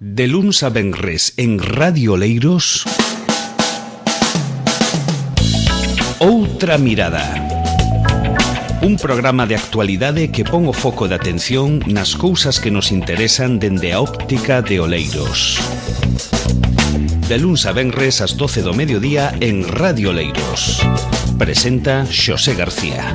De luns a venres en Radio Oleiros, Outra Mirada. Un programa de actualidade que pon o foco de atención nas cousas que nos interesan dende a óptica de Oleiros. De luns a venres ás 12 do mediodía en Radio Oleiros. Presenta Xosé García.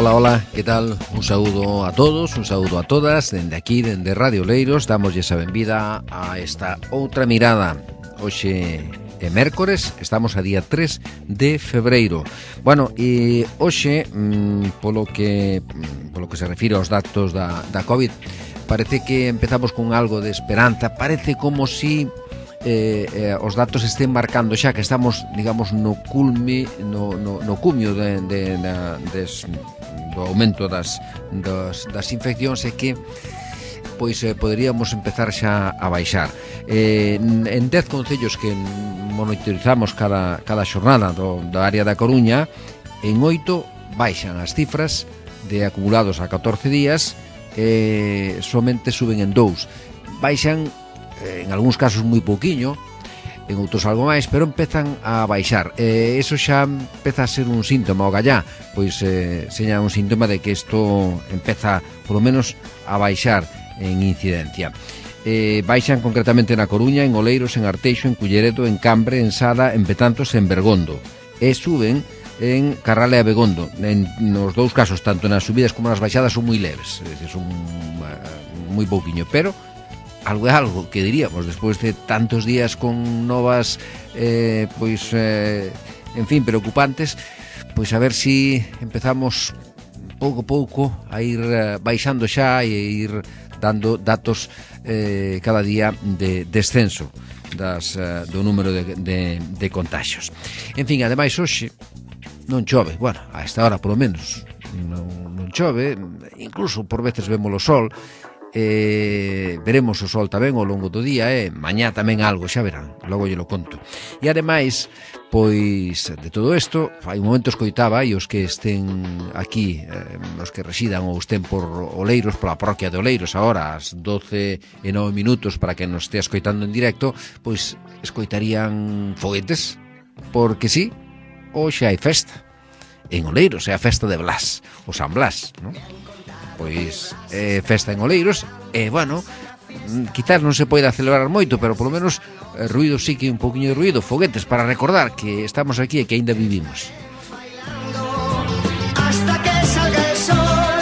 Hola, que tal? Un saúdo a todos, un saúdo a todas. Dende aquí, dende Radio Oleiros, damoslle a benvida a esta Outra Mirada. Hoxe é mércores, estamos a día 3 de febreiro. Bueno, e hoxe, polo que se refire aos datos da COVID, parece que empezamos con algo de esperanza. Parece como si os datos estén marcando xa que estamos, digamos, no cumio do aumento das infeccións, e que pois poderíamos empezar xa a baixar. En 10 concellos que monitorizamos cada xornada da área da Coruña, en 8 baixan as cifras de acumulados a 14 días, somente suben en 2. Baixan en algúns casos moi pouquiño, en outros algo máis, pero empezan a baixar. Eso xa empeza a ser un síntoma, o gallá, pois seña un síntoma de que isto empeza, polo menos, a baixar en incidencia. Baixan concretamente na Coruña, en Oleiros, en Arteixo, en Culleredo, en Cambre, en Sada, en Betanzos e en Bergondo. E suben en Carral e Abegondo. Nos dous casos, tanto nas subidas como nas baixadas, son moi leves, son moi pouquiño, pero algo é algo, que diríamos, despois de tantos días con novas en fin, preocupantes, pois a ver si empezamos pouco a pouco a ir baixando xa e ir dando datos cada día de descenso do número de contagios. En fin, ademais hoxe non chove, bueno, a esta hora polo menos non chove, incluso por veces vemos o sol. Veremos o sol tamén ao longo do día, mañá tamén algo, xa verán, logo lle lo conto. E ademais, pois de todo isto, hai un momento escoitaba, e os que estén aquí, os que residan ou estén por Oleiros, pola parroquia de Oleiros, agora ás 12:09, para que nos estea escoitando en directo, pois escoitarían foguetes, porque sí, hoxe hai festa en Oleiros, é a festa de Blas, o San Blas, non? Pois festa en Oleiros, e bueno, quizás non se poida celebrar moito, pero polo menos ruido sí que un poquinho de ruido, foguetes para recordar que estamos aquí e que aínda vivimos. Hasta que salga el sol,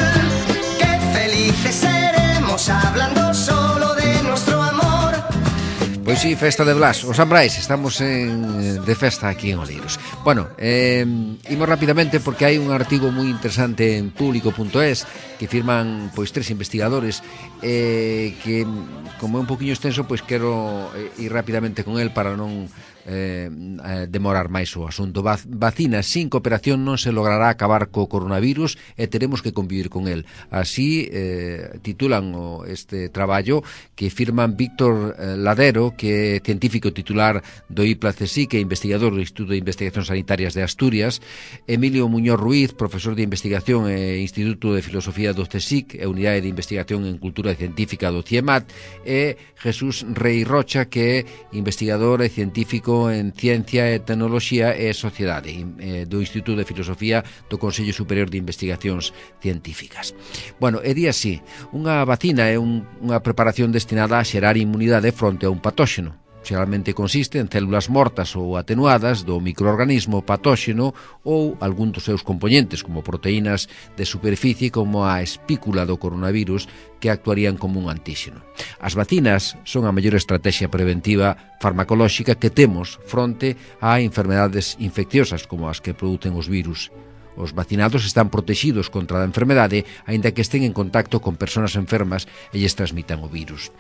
que felices seremos hablando solo de nuestro amor. Pois sí, festa de Blas, os San Brais, estamos de festa aquí en Oleiros. Bueno, imos rapidamente porque hai un artigo moi interesante en público.es que firman pois 3 investigadores, que como é un poquinho extenso, pois quero ir rapidamente con el para non demorar máis o asunto. Vacinas sin cooperación non se logrará acabar co coronavirus e teremos que convivir con el. Así titulan este traballo que firman Víctor Ladero, que é científico titular do IPLA-CSIC e investigador do Instituto de Investigacións Sanitarias de Asturias, Emilio Muñoz Ruiz, profesor de investigación e Instituto de Filosofía do CSIC e Unidade de Investigación en Cultura Científica do CIEMAT, e Jesús Rei Rocha, que é investigador e científico en Ciencia e Tecnoloxía e Sociedade do Instituto de Filosofía do Consello Superior de Investigacións Científicas. Bueno, e di así: unha vacina é unha preparación destinada a xerar inmunidade fronte a un patóxeno. Xeralmente consiste en células mortas ou atenuadas do microorganismo patóxeno ou algún dos seus componentes, como proteínas de superficie como a espícula do coronavirus, que actuarían como un antíxeno. As vacinas son a mellor estrategia preventiva farmacolóxica que temos fronte a enfermedades infecciosas como as que producen os virus. Os vacinados están protegidos contra a enfermedade, aínda que estén en contacto con persoas enfermas e lles transmitan o virus.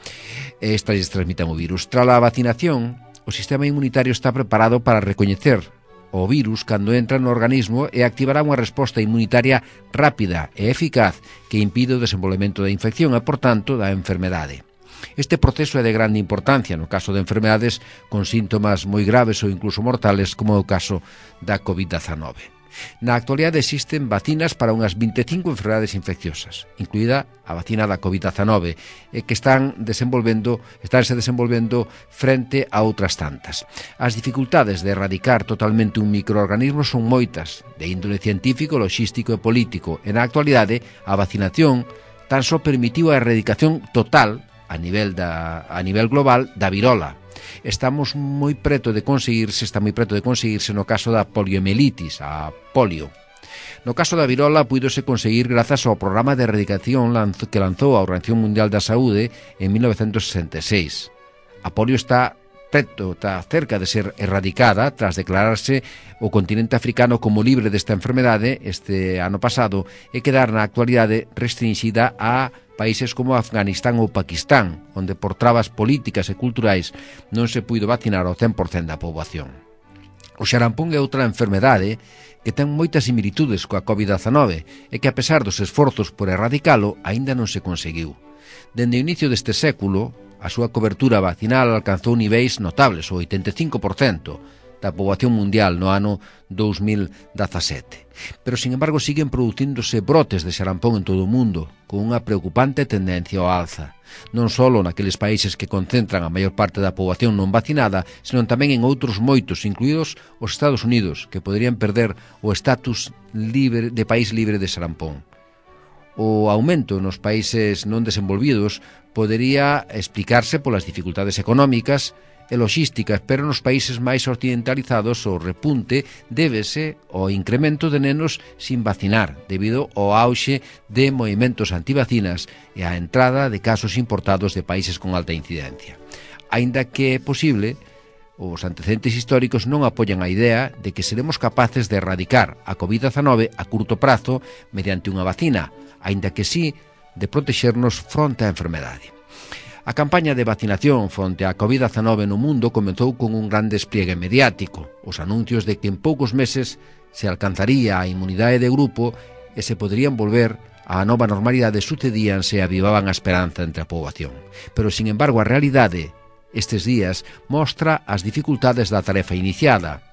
Tras a vacinación, o sistema inmunitario está preparado para recoñecer o virus cando entra no organismo e activará unha resposta inmunitaria rápida e eficaz que impide o desenvolvemento da infección e, por tanto, da enfermedade. Este proceso é de grande importancia no caso de enfermedades con síntomas moi graves ou incluso mortales, como é o caso da COVID-19. Na actualidade existen vacinas para unhas 25 enfermedades infecciosas, incluída a vacina da COVID-19, que estánse desenvolvendo frente a outras tantas. As dificultades de erradicar totalmente un microorganismo son moitas, de índole científico, logístico e político, e na actualidade a vacinación tan só permitiu a erradicación total a nivel global da virola. Está moi preto de conseguirse no caso da poliomielitis, a polio. No caso da virola, púidose conseguir grazas ao programa de erradicación que lanzou a Organización Mundial da Saúde en 1966. A polio está cerca de ser erradicada tras declararse o continente africano como libre desta enfermedade este ano pasado e quedar na actualidade restringida a países como Afganistán ou Paquistán, onde por trabas políticas e culturais non se puido vacinar ao 100% da poboación. O xarampón é outra enfermedade que ten moitas similitudes coa COVID-19 e que, a pesar dos esforzos por erradicalo, aínda non se conseguiu. Dende o inicio deste século, a súa cobertura vacinal alcanzou niveis notables, o 85% da poboación mundial no ano 2017. Pero, sin embargo, siguen producíndose brotes de xarampón en todo o mundo, con unha preocupante tendencia ao alza. Non só naqueles países que concentran a maior parte da poboación non vacinada, senón tamén en outros moitos, incluídos os Estados Unidos, que poderían perder o estatus de país libre de xarampón. O aumento nos países non desenvolvidos podería explicarse polas dificultades económicas e logísticas, pero nos países máis occidentalizados o repunte débese ao incremento de nenos sin vacinar, debido ao auxe de movimentos antivacinas e á entrada de casos importados de países con alta incidencia. Aínda que é posible, os antecedentes históricos non apoian a idea de que seremos capaces de erradicar a COVID-19 a curto prazo mediante unha vacina, aínda que sí de protexernos fronte á enfermedade. A campaña de vacinación fronte á COVID-19 no mundo comezou con un gran despliegue mediático. Os anuncios de que en poucos meses se alcanzaría a inmunidade de grupo e se poderían volver á nova normalidade sucedíanse e avivaban a esperanza entre a poboación. Pero, sin embargo, a realidade estes días mostra as dificultades da tarefa iniciada.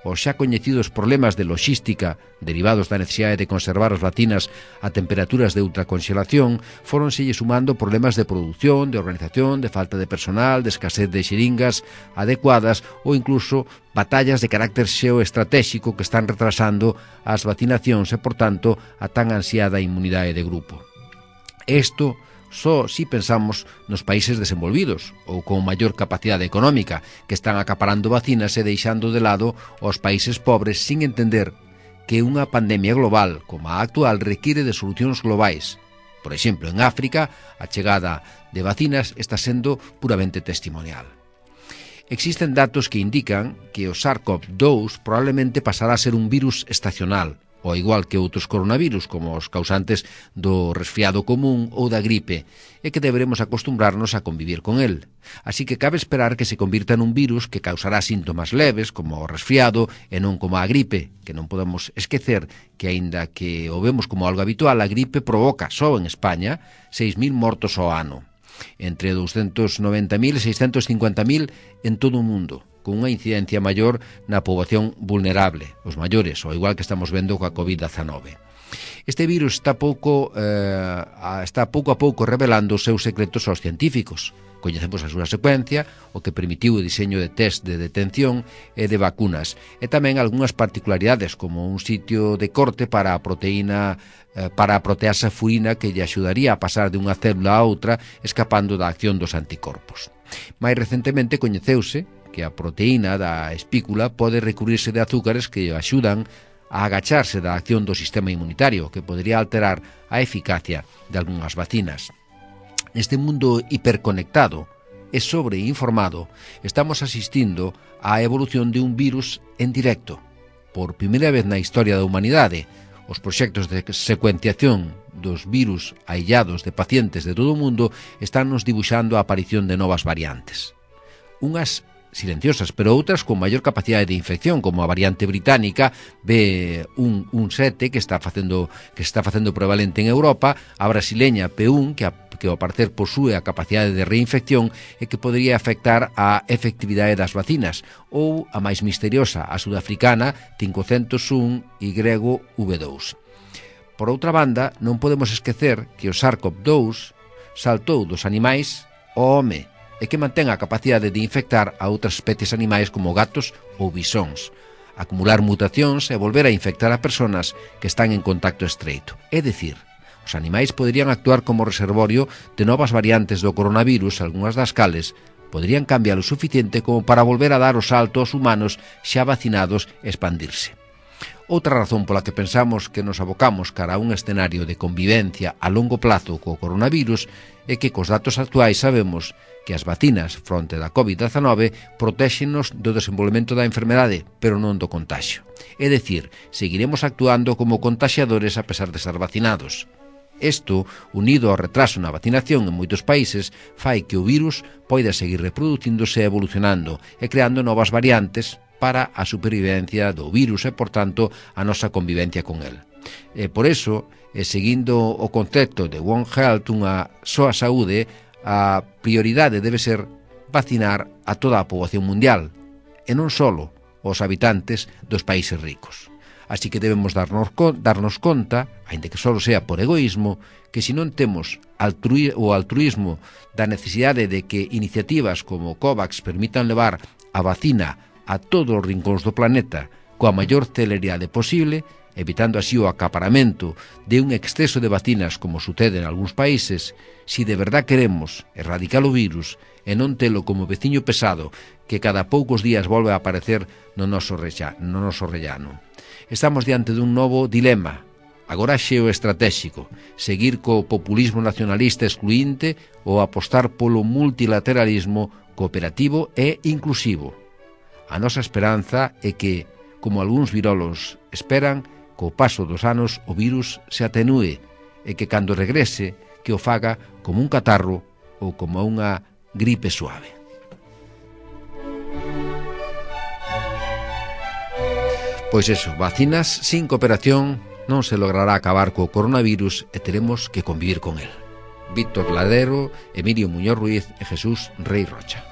Os xa coñecidos problemas de logística derivados da necesidade de conservar as vacinas a temperaturas de ultraconxelación fóronselle sumando problemas de produción, de organización, de falta de personal, de escasez de xeringas adecuadas ou incluso batallas de carácter xeoestratéxico que están retrasando as vacinacións e, por tanto, a tan ansiada inmunidade de grupo. Isto só si pensamos nos países desenvolvidos ou con maior capacidade económica que están acaparando vacinas e deixando de lado os países pobres sin entender que unha pandemia global como a actual require de solucións globais. Por exemplo, en África, a chegada de vacinas está sendo puramente testimonial. Existen datos que indican que o SARS-CoV-2 probablemente pasará a ser un virus estacional, ao igual que outros coronavirus, como os causantes do resfriado común ou da gripe, e que deberemos acostumbrarnos a convivir con el. Así que cabe esperar que se convirta nun virus que causará síntomas leves, como o resfriado, e non como a gripe, que non podemos esquecer que, aínda que o vemos como algo habitual, a gripe provoca, só en España, 6.000 mortos ao ano, entre 290.000 e 650.000 en todo o mundo, con unha incidencia maior na poboación vulnerable, os maiores, ao igual que estamos vendo coa COVID-19. Este virus está pouco a pouco revelando os seus secretos aos científicos. Coñecemos a súa secuencia, o que permitiu o diseño de test de detención e de vacunas, e tamén algunhas particularidades, como un sitio de corte para a proteasa furina que lle axudaría a pasar de unha célula a outra escapando da acción dos anticorpos. Mais recentemente coñeceuse que a proteína da espícula pode recurrirse de azúcares que axudan a agacharse da acción do sistema inmunitario, que podría alterar a eficacia de algunhas vacinas. Neste mundo hiperconectado e sobreinformado, estamos asistindo á evolución de un virus en directo. Por primeira vez na historia da humanidade, os proxectos de secuenciación dos virus aillados de pacientes de todo o mundo están nos dibuixando a aparición de novas variantes. Unhas silenciosas, pero outras con maior capacidade de infección, como a variante británica B117 que está facendo prevalente en Europa, a brasileña P1 que ao parecer posúe a capacidade de reinfección e que podría afectar a efectividade das vacinas, ou a máis misteriosa, a sudafricana 501 YV2. Por outra banda, non podemos esquecer que o SARS-CoV-2 saltou dos animais ao home e que mantén a capacidade de infectar a outras especies animais como gatos ou bisóns, acumular mutacións e volver a infectar a persoas que están en contacto estreito. É dicir, os animais poderían actuar como reservorio de novas variantes do coronavirus, algunhas das cales poderían cambiar o suficiente como para volver a dar o salto aos humanos xa vacinados e expandirse. Outra razón pola que pensamos que nos abocamos cara a un escenario de convivencia a longo plazo co coronavirus é que cos datos actuais sabemos que as vacinas fronte da COVID-19 protéxenos do desenvolvemento da enfermedade, pero non do contagio. É dicir, seguiremos actuando como contaxiadores a pesar de estar vacinados. Isto, unido ao retraso na vacinación en moitos países, fai que o virus poida seguir reproducíndose e evolucionando e creando novas variantes para a supervivencia do virus e, por tanto, a nosa convivencia con el. E por iso, seguindo o concepto de One Health, unha soa saúde, a prioridade debe ser vacinar a toda a poboación mundial, e non só os habitantes dos países ricos. Así que debemos darnos conta, aínda que só sea por egoísmo, que se non temos o altruísmo da necesidade de que iniciativas como COVAX permitan levar a vacina a todos os rincóns do planeta coa maior celeridade posible, evitando así o acaparamento de un exceso de vacinas como sucede en algúns países, si de verdad queremos erradicar o virus e non telo como veciño pesado que cada poucos días volve a aparecer no noso rellano. Estamos diante dun novo dilema, agora xeoestratéxico, seguir co populismo nacionalista excluinte ou apostar polo multilateralismo cooperativo e inclusivo. A nosa esperanza é que, como algúns virólogos esperan, co paso dos anos o virus se atenúe e que cando regrese que o faga como un catarro ou como unha gripe suave. Pois eso, vacinas sin cooperación non se logrará acabar co coronavirus e teremos que convivir con el. Víctor Ladero, Emilio Muñoz Ruiz e Jesús Rey Rocha.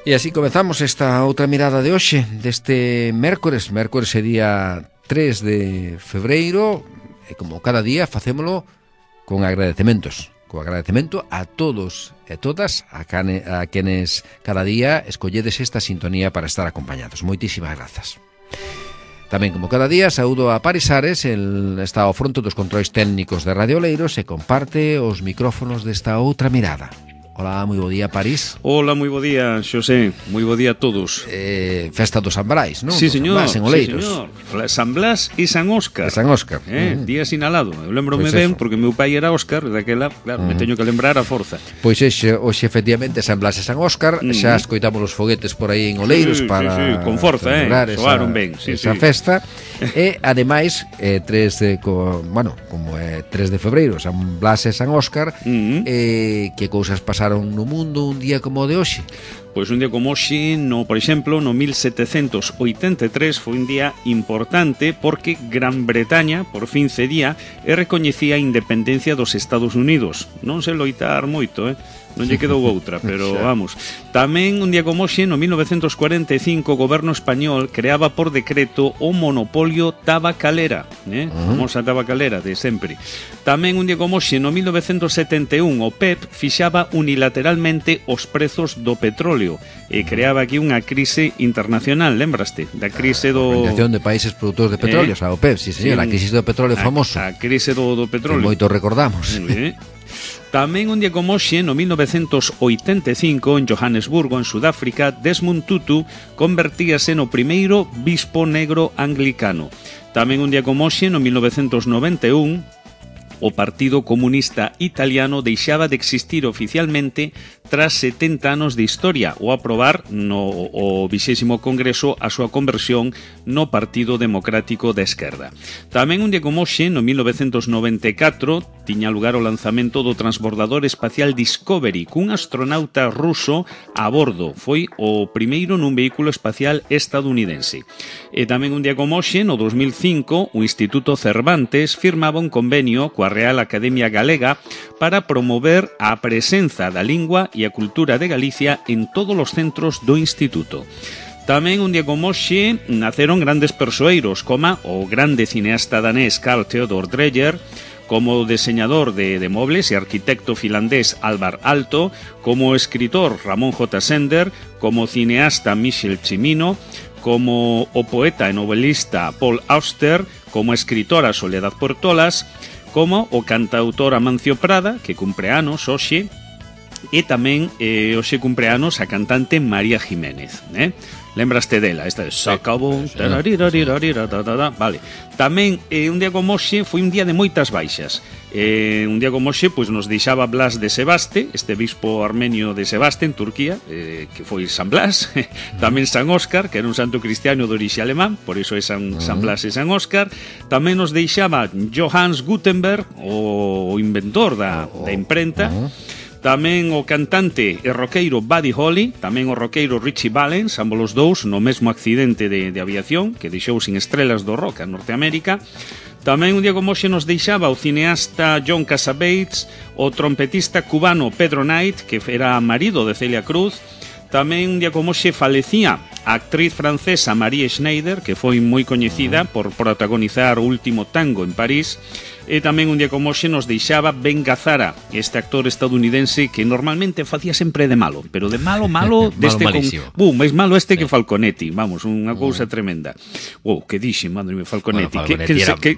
E así comezamos esta outra mirada de hoxe, deste mércores é día 3 de febreiro, e como cada día facémolo con agradecementos, a todos e todas a quenes cada día escolledes esta sintonía para estar acompañados. Moitísimas grazas. Tamén, como cada día, saúdo a Paris Ares, está ao fronte dos controis técnicos de Radio Oleiros e comparte os micrófonos desta outra mirada. Hola, moi bo día, París. Hola, moi bo día, Xosé. Moi bo día a todos. Festa do San Brais, non? Sí, señor. San Blas, en Oleiros. Sí, señor. San Blas e San Óscar. San Óscar. Día sinalado. Eu lembrome ben, porque meu pai era Óscar, daquela, claro, me teño que lembrar a forza. Pois hoxe efectivamente, San Blas e San Óscar, xa escoitamos os foguetes por aí en Oleiros para... Sí, con forza, soaron ben. Esa festa. E, ademais, como é 3 de febreiro, San Blas e San Óscar, que cousas pasaron no mundo un día como o de hoxe? Pois un día como hoxe, por exemplo, no 1783 foi un día importante porque Gran Bretaña por fin cedía e recoñecía a independencia dos Estados Unidos. Non se loitar moito, non lle quedou outra, pero vamos. Tamén un día como hoxe, no 1945, o goberno español creaba por decreto o monopolio tabacalera, famosa tabacalera de sempre. Tamén un día como hoxe, no 1971, o PEP fixaba unilateralmente os prezos do petróleo e creaba aquí unha crise internacional, lembraste? Da crise do... Organización de Países Produtores de Petróleo, a OPEP, sí, señor, a crise do petróleo famoso. A crise do petróleo. Que moito recordamos. Tamén un día como hoxe, no 1985, en Johannesburgo, en Sudáfrica, Desmond Tutu convertíase no primeiro bispo negro anglicano. Tamén un día como hoxe, no 1991, o Partido Comunista Italiano deixaba de existir oficialmente tras 70 anos de historia ao aprobar no 20º Congreso a súa conversión no Partido Democrático da Esquerda. Tamén un día como hoxe, no 1994, tiña lugar o lanzamento do transbordador espacial Discovery cun astronauta ruso a bordo. Foi o primeiro nun vehículo espacial estadounidense. E tamén un día como hoxe, no 2005, o Instituto Cervantes firmaba un convenio coa Real Academia Galega para promover a presenza da lingua e a cultura de Galicia en todos os centros do Instituto. Tamén un día como hoxe naceron grandes persoeiros, como o grande cineasta danés Carl Theodor Dreyer, como deseñador de mobles e arquitecto finlandés Alvar Aalto, como escritor Ramón J. Sender, como cineasta Michel Cimino, como o poeta e novelista Paul Auster, como escritora Soledad Portolas, como o cantautor Amancio Prada, que cumpre anos hoxe, e tamén hoxe cumpre anos a cantante María Jiménez, Lembraste dela? Esta de Sacabou. Vale. Tamén un día como hoxe foi un día de moitas baixas. Un día como hoxe pois nos deixaba Blas de Sebaste, este bispo armenio de Sebaste en Turquía, que foi San Blas. Tamén San Óscar, que era un santo cristiano de orixe alemán, por iso é San Blas e San Óscar. Tamén nos deixaba Johannes Gutenberg, o inventor da imprenta. Tamén o cantante e roqueiro Buddy Holly, tamén o roqueiro Richie Valens, ambos os dous no mesmo accidente de aviación que deixou sin estrelas do rock a Norteamérica. Tamén un día como hoxe nos deixaba o cineasta John Cassavetes, o trompetista cubano Pedro Knight, que era marido de Celia Cruz. Tamén un día como hoxe falecía a actriz francesa Marie Schneider, que foi moi coñecida por protagonizar o último tango en París. E tamén un día como hoxe nos deixaba Ben Gazzara, este actor estadounidense que normalmente facía sempre de malo, pero de malo deste máis malo este que Falconetti, vamos, unha cousa tremenda. Que dixe, madre mía, Falconetti.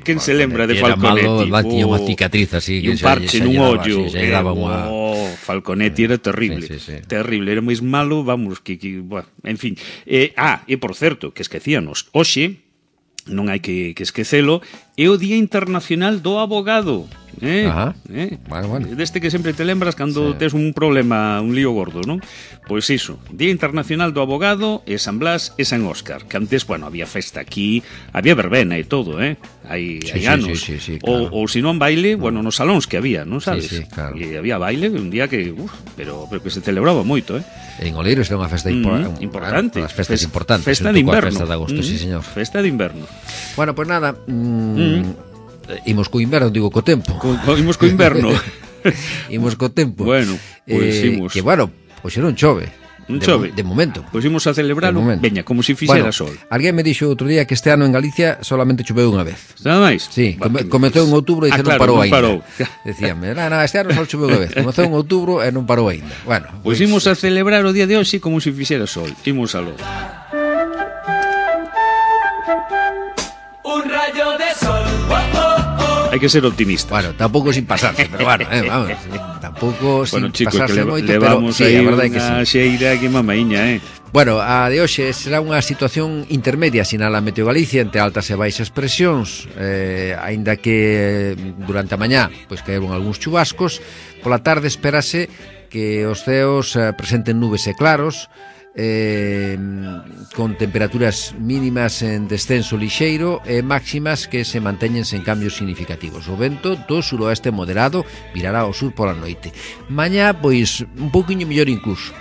Quen se lembra de Falconetti? Era malo, tiña unha cicatriz así, e un parche nun ollo. Falconetti era terrible, terrible, era máis malo, vamos, en fin. E por certo, que esquecíanos, hoxe non hai que esquecelo, é o Día Internacional do Abogado. Bueno. Deste que sempre te lembras cando tes un problema, un lío gordo, non? Pois iso, Día Internacional do Abogado e San Blas e San Óscar, que antes, había festa aquí, había verbena e todo, hai anos. Claro. Ou se non baile, nos salóns que había, non sabes? Sí, claro. E había baile un día que, pero que se celebraba moito, En Oleiros era unha festa importante. As festas importantes. Festa de inverno. Festa de agosto, sí, señor. Festa de inverno. Bueno, pois nada, imos co inverno, digo co tempo. Imos co inverno. Imos co tempo. Bueno, pois imos. Que pois non chove. Non chove. De momento. Pois imos a celebralo, veña, como se fixera sol. Alguén me dixo outro día que este ano en Galicia solamente choveu unha vez. Nada máis? Sí, comezou en outubro e non parou ainda. Parou. Decíame, este ano só choveu unha vez. Comezou en outubro e non parou ainda. Bueno, pois imos a celebrar o día de hoxe como se fixera sol. Imos aló. Un rayo de sol. Hai que ser optimista. Bueno, tampouco sin pasarse, pero vamos, tampouco sin pasarse moito, pero sí, a verdade que sí. Unha xeira que mamaíña, Bueno, a de hoxe será unha situación intermedia, sinala Meteo Galicia, entre altas e baixas presións, aínda que durante a mañá pois caeron algúns chubascos. Pola tarde espérase que os ceos presenten nubes e claros, con temperaturas mínimas en descenso lixeiro e máximas que se manteñen sen cambios significativos. O vento do suroeste moderado virará ao sur pola noite. Mañá, pois, un pouquiño mellor incluso,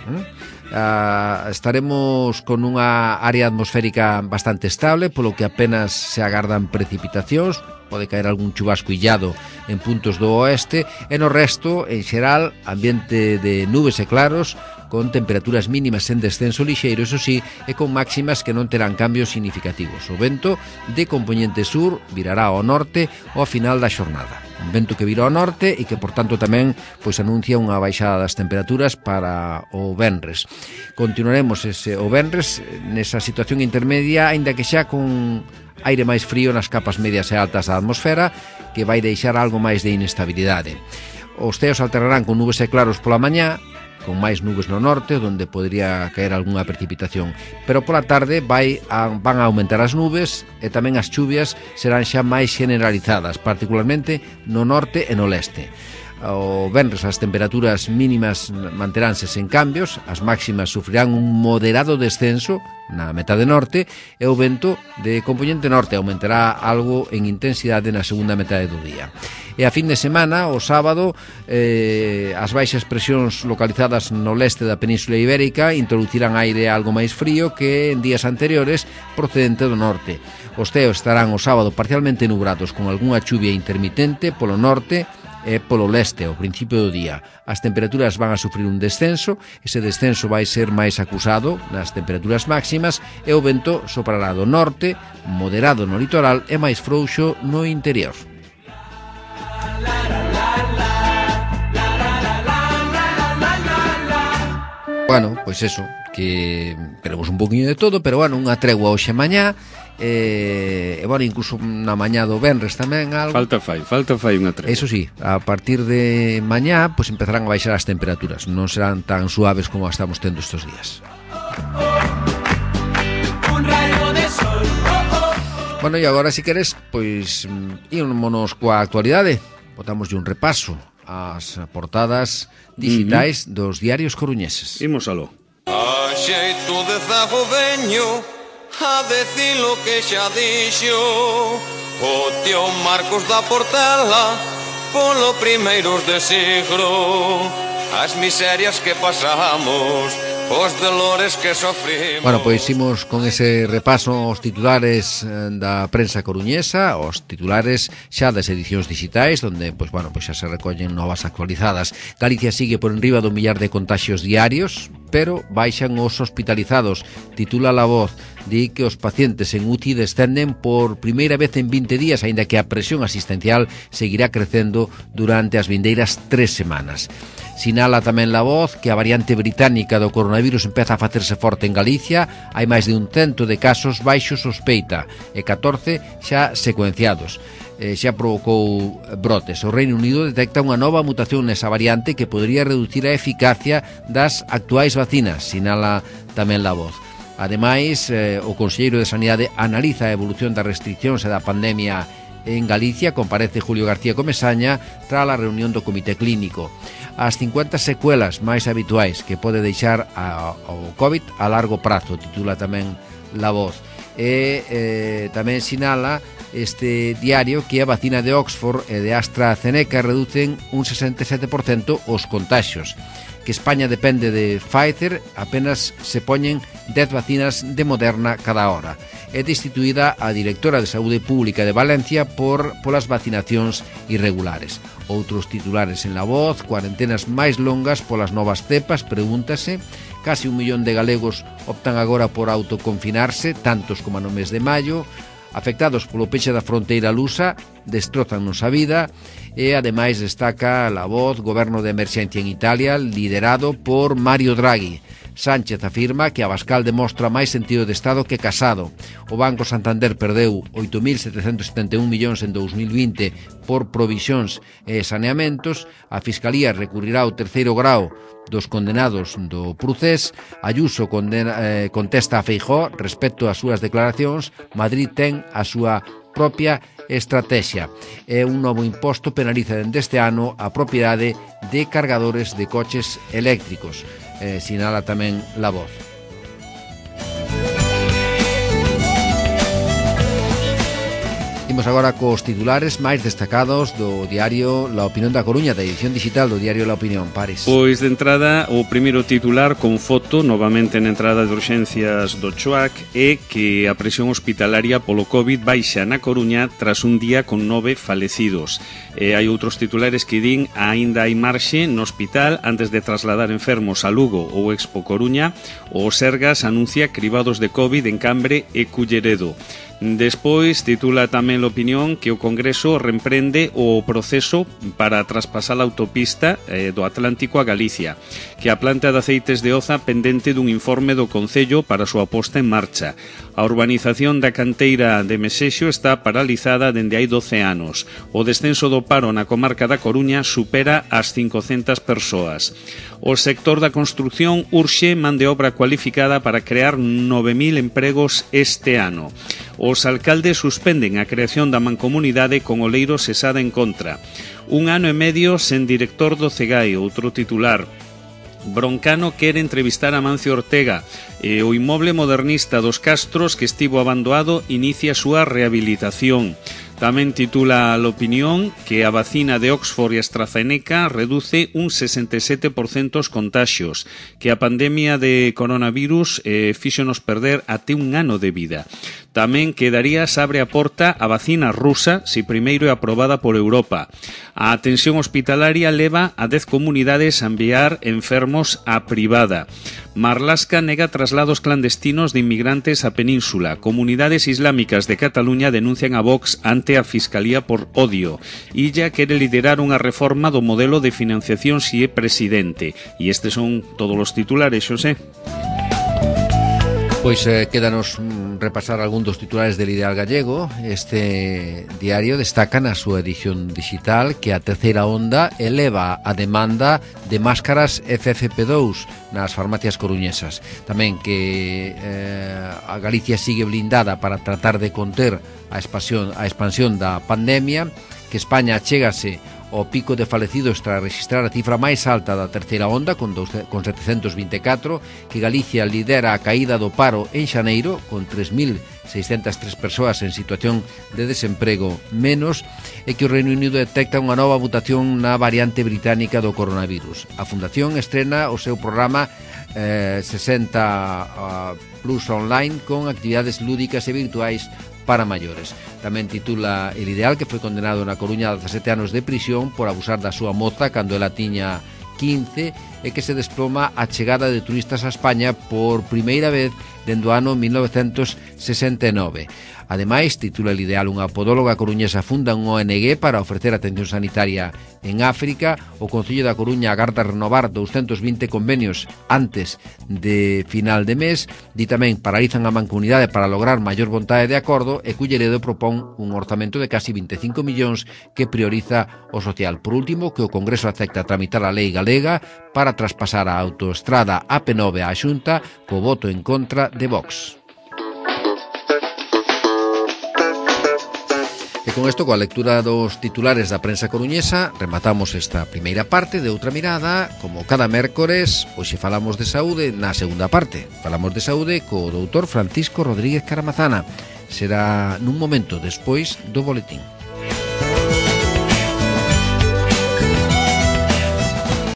estaremos con unha área atmosférica bastante estable, polo que apenas se agardan precipitacións. Pode caer algún chubasco illado en puntos do oeste e no resto, en xeral, ambiente de nubes e claros con temperaturas mínimas en descenso lixeiro, eso sí, e con máximas que non terán cambios significativos. O vento de compoñente sur virará ao norte ao final da xornada. Un vento que vira ao norte e que, por tanto, tamén pois anuncia unha baixada das temperaturas para o venres. Continuaremos o venres nesa situación intermedia, aínda que xa con aire máis frío nas capas medias e altas da atmosfera, que vai deixar algo máis de inestabilidade. Os ceos alternarán con nubes e claros pola mañá, con máis nubes no norte, onde podría caer algunha precipitación, pero pola tarde van a aumentar as nubes e tamén as chuvias serán xa máis generalizadas, particularmente no norte e no leste. O venres as temperaturas mínimas manteránse sen cambios, as máximas sufrirán un moderado descenso na metade norte e o vento de componente norte aumentará algo en intensidade na segunda metade do día. E a fin de semana, o sábado, as baixas presións localizadas no leste da Península Ibérica introducirán aire algo máis frío que en días anteriores procedente do norte. Os ceos estarán o sábado parcialmente nubrados con algunha chuvia intermitente polo norte e polo leste ao principio do día. As temperaturas van a sufrir un descenso, ese descenso vai ser máis acusado nas temperaturas máximas e o vento soprará do norte, moderado no litoral e máis frouxo no interior. Bueno, pois eso, que teremos un poquinho de todo, pero bueno, unha tregua hoxe mañá, e bueno, incluso na mañá do venres tamén algo. Falta fai unha tregua. Eso sí, a partir de mañá pois empezarán a baixar as temperaturas, non serán tan suaves como estamos tendo estes días. Bueno, e agora, se queres, pois ímonos coa actualidade. Botámoslle un repaso ás portadas digitais dos diarios coruñeses. Imos aló. A xeito de zago veño a decir lo que xa dixo o tío Marcos da Portela polo primeiros de siglo, as miserias que pasamos, os dolores que sofrimos. Bueno, pois imos con ese repaso aos titulares da prensa coruñesa, aos titulares xa das edicións digitais, onde pois bueno, pois xa se recollen novas actualizadas. Galicia sigue por enriba do 1.000.000 de contaxios diarios, pero baixan os hospitalizados. Titula La Voz, di que os pacientes en UTI descenden por primeira vez en 20 días, aínda que a presión asistencial seguirá crecendo durante as vindeiras 3 semanas. Sinala tamén La Voz que a variante británica do coronavirus empeza a facerse forte en Galicia. Hai máis de 100 de casos baixo sospeita e 14 xa secuenciados. Xa provocou brotes. O Reino Unido detecta unha nova mutación nesa variante que podría reducir a eficacia das actuais vacinas, sinala tamén La Voz. Ademais, o Conselleiro de Sanidade analiza a evolución das restriccións e da pandemia en Galicia. Comparece Julio García Comesaña tras a reunión do Comité Clínico. As 50 secuelas máis habituais que pode deixar o COVID a largo prazo, titula tamén La Voz. E tamén sinala este diario que a vacina de Oxford e de AstraZeneca reducen un 67% os contaxios. Que España depende de Pfizer, apenas se poñen 10 vacinas de Moderna cada hora. É destituída a directora de Saúde Pública de Valencia polas vacinacións irregulares. Outros titulares en La Voz: cuarentenas máis longas polas novas cepas, pregúntase. Casi 1 millón de galegos optan agora por autoconfinarse, tantos como no mes de maio. Afectados polo peche da fronteira lusa, destrozannos a vida. E ademais destaca La Voz: goberno de emerxencia en Italia liderado por Mario Draghi. Sánchez afirma que Abascal demostra máis sentido de Estado que Casado. O Banco Santander perdeu 8.771 millóns en 2020 por provisións e saneamentos. A Fiscalía recurrirá ao terceiro grao dos condenados do procés. Ayuso contesta a Feijóo respecto ás súas declaracións. Madrid ten a súa propia estrategia. E un novo imposto penaliza dende este ano a propiedade de cargadores de coches eléctricos. Sinala tamén La Voz. Imos agora cos titulares máis destacados do diario La Opinión da Coruña, da edición digital do diario La Opinión. Pares. Pois de entrada, o primeiro titular con foto, novamente na entrada de urxencias do CHOAC, é que a presión hospitalaria polo COVID baixa na Coruña tras un día con 9 falecidos. Hai outros titulares que din aínda hai marxe no hospital antes de trasladar enfermos a Lugo ou Expo Coruña. O Sergas anuncia cribados de COVID en Cambre e Culleredo. Despois titula tamén a Opinión que o Congreso reemprende o proceso para traspasar a autopista do Atlántico a Galicia, que a planta de aceites de Oza pendente dun informe do Concello para a súa posta en marcha. A urbanización da canteira de Mesexo está paralizada dende hai 12 anos. O descenso do paro na comarca da Coruña supera as 500 persoas. O sector da construción urxe man de obra cualificada para crear 9.000 empregos este ano. Os alcaldes suspenden a creación da mancomunidade con Oleiro cesada en contra. 1 ano e medio sen director do CEGAE, outro titular. Broncano quere entrevistar a Mancio Ortega e o inmoble modernista dos Castros que estivo abandonado inicia a súa rehabilitación. Tamén titula a L'Opinión que a vacina de Oxford e AstraZeneca reduce un 67% os contaxios, que a pandemia de coronavirus fíxonos perder até 1 ano de vida. Tamén que Darías abre a porta a vacina rusa se primeiro é aprobada por Europa. A atención hospitalaria leva a 10 comunidades a enviar enfermos á privada. Marlaska nega traslados clandestinos de inmigrantes á península. Comunidades islámicas de Cataluña denuncian a Vox ante a Fiscalía por odio. Illa quere liderar unha reforma do modelo de financiación si é presidente. E estes son todos os titulares, Xosé. Pois quédanos repasar algún dos titulares del Ideal Gallego. Este diario destaca na súa edición digital que a terceira onda eleva a demanda de máscaras FFP2 nas farmacias coruñesas. Tamén que a Galicia sigue blindada para tratar de conter a expansión da pandemia, que España chégase ao pico de falecidos tras registrar a cifra máis alta da terceira onda con 724, que Galicia lidera a caída do paro en xaneiro con 3.603 persoas en situación de desemprego menos, e que o Reino Unido detecta unha nova mutación na variante británica do coronavirus. A Fundación estrena o seu programa 60 Plus Online con actividades lúdicas e virtuais para maiores. Tamén titula El Ideal que foi condenado na Coruña a 17 anos de prisión por abusar da súa moza cando ela tiña 15 e que se desploma a chegada de turistas a España por primeira vez dende o ano 1969. Ademais, titula El Ideal, unha podóloga coruñesa funda un ONG para ofrecer atención sanitaria en África. O Concello da Coruña agarda renovar 220 convenios antes de final de mes. Di tamén, paralizan a mancomunidade para lograr maior vontade de acordo, e Culleredo propón un orzamento de casi 25 millóns que prioriza o social. Por último, que o Congreso acepta tramitar a lei galega para traspasar a autoestrada AP9 á Xunta co voto en contra de Vox. E con isto, coa lectura dos titulares da prensa coruñesa, rematamos esta primeira parte de Outra Mirada. Como cada mércores, hoxe falamos de saúde. Na segunda parte falamos de saúde co doutor Francisco Rodríguez Caramazana. Será nun momento despois do boletín.